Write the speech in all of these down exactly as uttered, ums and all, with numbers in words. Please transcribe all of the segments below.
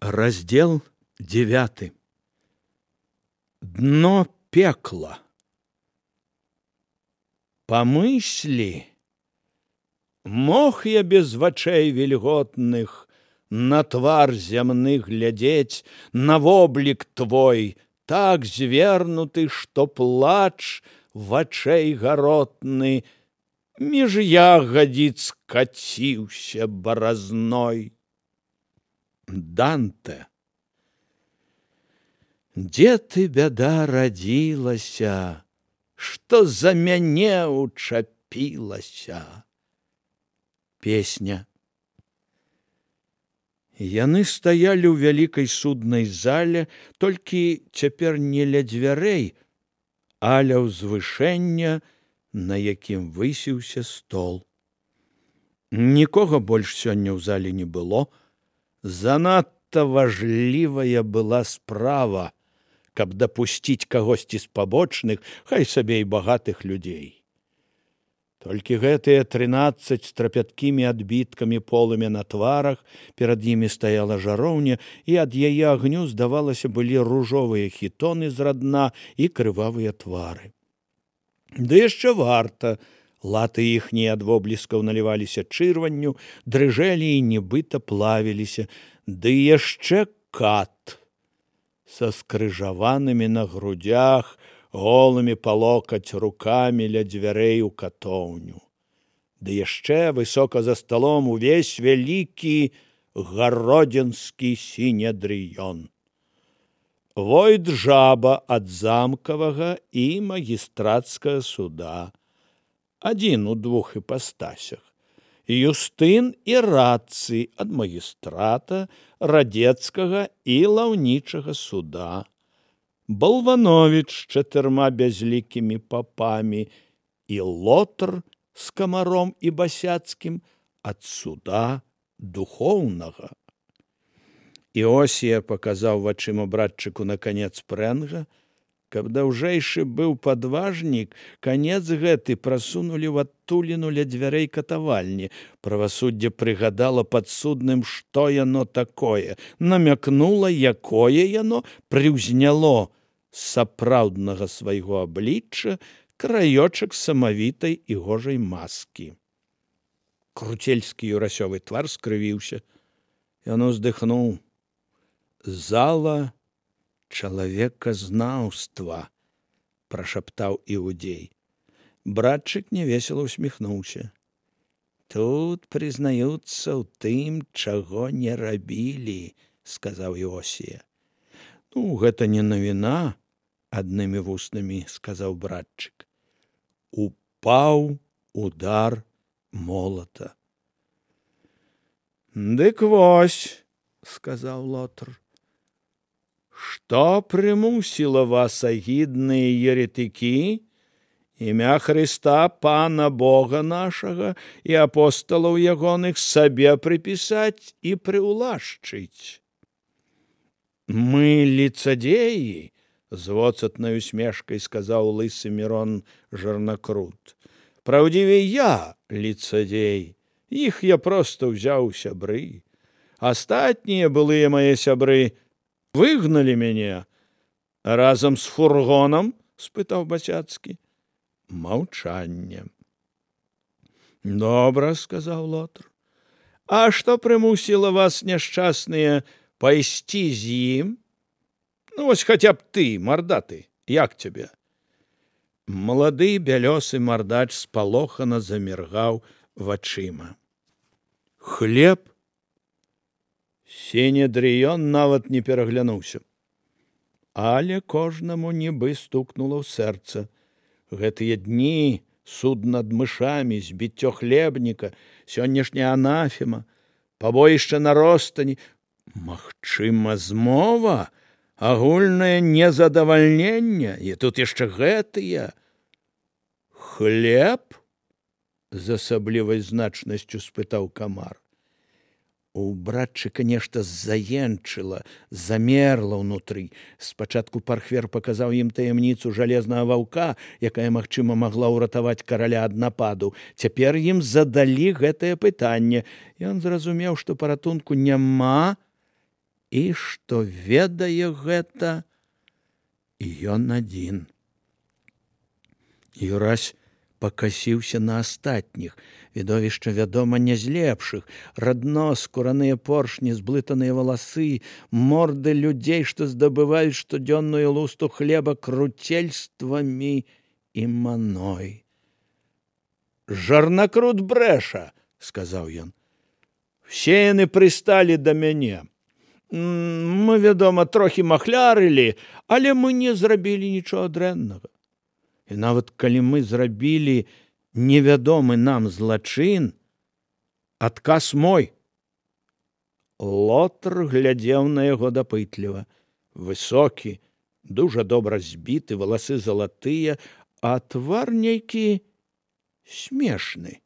Раздел девятый. Дно пекла. Помысли, мог я без вачэй вільготных на твар зямны глядзець, на воблік твой, так звернуты, што плач вачэй гаротны між ягадзіц каціўся баразной. Данте. Дзе ты, бяда, радзілася, што за мяне учапілася? Песня. Яны стаялі ў вялікай суднай зале, толькі цяпер не ля дзвярэй, а ля ўзвышэння, на якім высіўся стол. Нікога больш сёння ў зале не было. Занадта важлівая была справа, каб дапусціць кагосьці з пабочных, хай сабе і багатых людзей. Толькі гэтыя трынаццаць з трапяткімі адбіткамі полымя на тварах, перад імі стаяла жароўня, і ад яе агню, здавалася, былі ружовыя хітоны з радна і крывавыя твары. Ды яшчэ варта, латы іхнія ад вобліскаў наліваліся чырванню, дрыжэлі і нібыта плавіліся, ды яшчэ кат са скрыжаванымі на грудях, голымі па локаць рукамі ля дзвярэй у катоўню. Ды яшчэ высока за сталом увесь вялікі гародзінскі сінедрыён. Войт жаба ад замкавага і магістрацкага суда, адзін у двух іпастасях, Юстын і Рацый ад магістрата, радзецкага і лаўнічага суда, Балвановіч з чатырма бязлікімі папамі і Лотар з камаром і басяцкім ад суда духоўнага. Іосія паказаў вачыма братчыку на канец прэнга, каб даўжэйшы быў падважнік, канец гэты прасунулі ў адтуліну ля дзвярэй катавальні. Правасуддзе прыгадала падсудным, што яно такое, намякнула, якое яно, прыўзняло з сапраўднага свайго аблічча краёчак самавітай і гожай маскі. Круцельскі юрасёвы твар скрывіўся. Ён уздыхнуў. Зала чалавеказнаўства, прашаптаў іудзей. Братчык невесела усміхнуўся. Тут прызнаюцца ў тым, чаго не рабілі, сказаў Іосія. Ну, гэта не навіна, аднымі вуснамі сказаў братчык. Упаў удар молата. Дык вось, сказаў Лотар. Што прымусіла вас, агідныя еретыкі, імя Хрыста, Пана Бога нашага і апосталаў ягоных сабе прыпісаць і прыўлашчыць? Мы лицадеі, з воцатнай усмешкай сказаў лысы Мірон Жарнакрут. Праўдзівей я лицадей, іх я проста ўзяў у сябры. Астатнія былыя мае сябры выгналі мяне разам з фургонам, спытаў Басяцкі. Маўчанне. Добра, сказаў Лотар. А што прымусіла вас, няшчасныя, пайсці з ім? Ну, вось хаця б ты, мардаты, як цябе? Малады бялёсы мардач спалохана заміргаў вачыма. Хлеб? Сінедрыён нават не пераглянуўся. Але кожнаму нібы стукнула ў сэрца. Гэтыя дні, суд над мышамі, збіццё хлебніка, сённяшняя анафема, пабоішча на ростані, магчыма, змова, агульнае незадавальненне, і тут яшчэ гэтыя. Хлеб? З асаблівай значнасцю спытаў камар. У братчыка нешта заенчыла, замерла ўнутры. Спачатку пархвер паказаў ім таямніцу жалезнага ваўка, якая, магчыма, магла ўратаваць караля ад нападу. Цяпер ім задалі гэтае пытанне. Ён зразумеў, што паратунку няма, і што ведае гэта ён адзін. Юрась пакасіўся на астатніх. Відовішча, вядома, не з лепшых. Радно, скураныя поршні, зблытаныя валасы, морды людзей, што здабываюць штодзённую лусту хлеба круцельствамі і маной. «Жарнакрут брэша», — сказаў ён. «Все яны прысталі да мяне. Мы, вядома, трохі махлярылі, але мы не зрабілі нічога дрэннага. І нават калі мы зрабілі невядомы нам злачин, адказ мой». Лотар глядзеў на яго дапытліва. Высокі, дужа добра збіты, валасы залатыя, а твар нейкі смешны.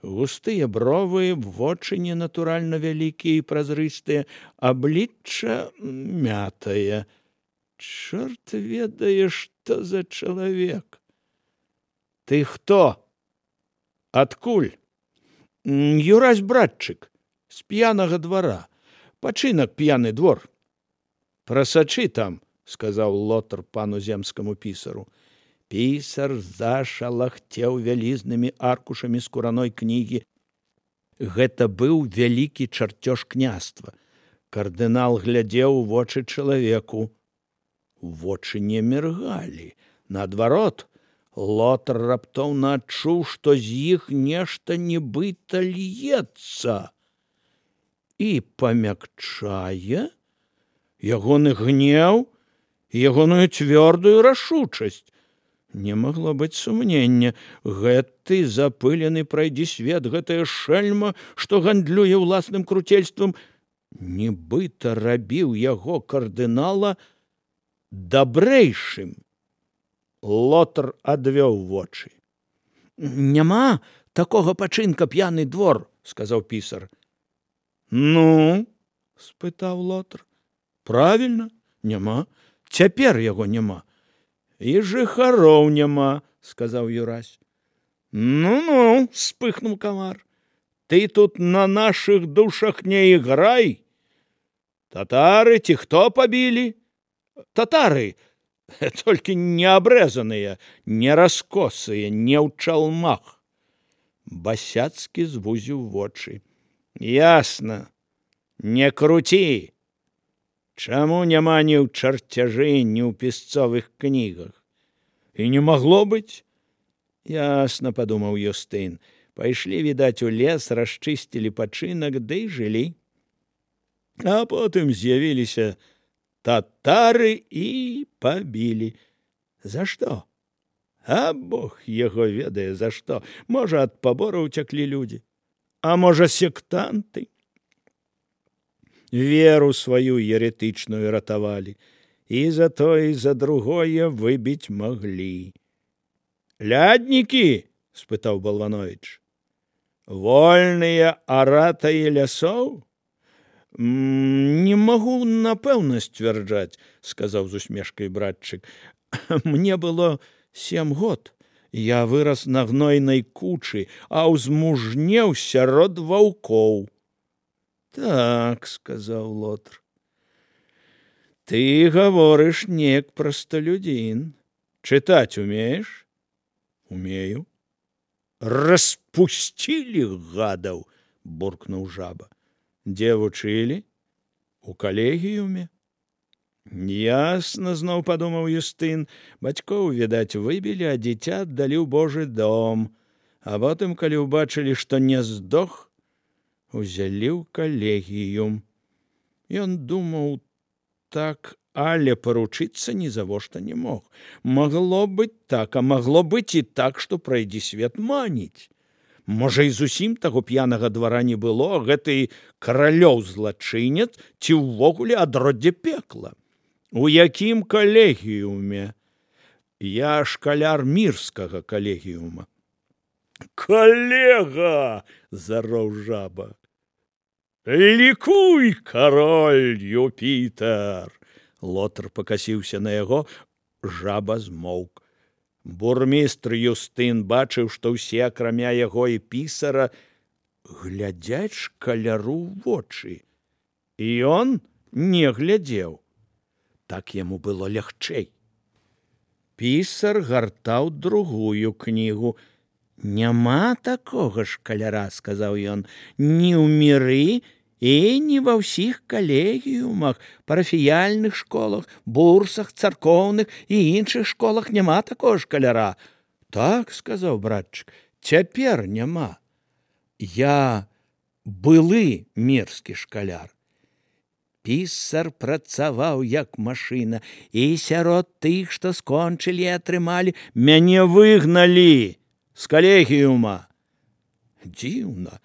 Густыя бровы, вочы ненатуральна вялікія і празрыстыя, аблічча мятае. Чорт ведае, што за чалавек. «Ты хто? Адкуль?» «Юрась братчык, з п'янага двара. Пачынак п'яны двор». «Прасачы там», — сказаў Лотар пану земскаму пісару. Пісар зашалахцеў вялізнымі аркушамі скураной кнігі. Гэта быў вялікі чарцёж княства. Кардынал глядзеў у вочы чалавеку. Вочы не міргалі. Наадварот, Лотар раптоўна адчуў, што з іх нешта нібыта льецца. І памякчае ягоны гнеў і ягоную цвёрдую рашучасць. Не магло быць сумнення. Гэты запылены прайдзісвет, гэтая шэльма, што гандлюе ўласным круцельствам, нібыта рабіў яго кардынала дабрэйшым. Лотар адвёў вочы. «Няма такога пачынка п'яны двор», — сказаў пісар. «Ну?» — спытаў Лотар. «Правільна, няма. Цяпер яго няма». «І жыхароў няма», — сказаў Юрась. «Ну-ну», — спыхнуў камар, — «ты тут на нашых душах не іграй. Татары ці хто пабілі?» «Татары, толькі не абрэзаныя, не раскосыя, не ў чалмах». Басяцкі звузіў вочы. «Ясна, не круці. Чаму няма ні ў чарцяжы, ні ў пісцовых кнігах? І не магло быць?» «Ясна», — падумаў Юстын. «Пайшлі, відаць, у лес, расчысцілі пачынак, ды і жылі. А потым з'явіліся татары і пабілі. За што? А Бог яго ведае, за што. Можа, ад пабораў уцяклі людзі, а можа, сектанты. Веру сваю еретычную ратавалі, і за тое, і за другое выбіць маглі». «Ляднікі?» — спытаў Балванович. «Вольныя аратаі лясоў?» «Не магу напэўна сцвярджаць», — сказаў з усмешкай братчык. «Мне было сем год. Я вырас на гнойнай кучы, а ўзмужнеў сярод ваўкоў». «Так», — сказаў Лотар, — «ты гаворыш неяк прасталюдзін. Чытаць умееш?» «Умею». «Распусцілі гадаў», — буркнуў жаба. «Дзе вучылі?» «У калегіюме». «Ясна», — зноў падумаў Юстын. «Бацькоў, відаць, выбілі, а дзіця аддалі ў Божы дом. А потым, калі ўбачылі, што не здох, узялі ў калегіюм». Ён думаў так, але паручыцца нізавошта не мог. Магло быць так, а магло быць і так, што прайдзісвет маніць. Можа, і зусім таго п'янага двара не было, гэты каралёў злачынец ці ўвогуле адроддзе пекла. «У якім калегіюме?» «Я шкаляр мірскага калегіюма». «Калега!» — зароў жаба. «Лікуй, кароль Юпітер!» Лотар пакасіўся на яго, жаба змоўк. Бурмістр Юстын бачыў, што ўсе, акрамя яго і пісара, глядзяць шкаляру ў вочы. І ён не глядзеў. Так яму было лягчэй. Пісар гартаў другую кнігу. «Няма такога шкаляра, — сказаў ён, — ні ў міры і не ва ўсіх калегіумах, парафіяльных школах, бурсах, царкоўных і іншых школах няма такога шкаляра». «Так, — сказаў братчык, — цяпер няма. Я былы мірскі шкаляр». Пісар працаваў як машына, і сярод тых, што скончылі і атрымалі, мяне выгналі з калегіума. Дзіўна,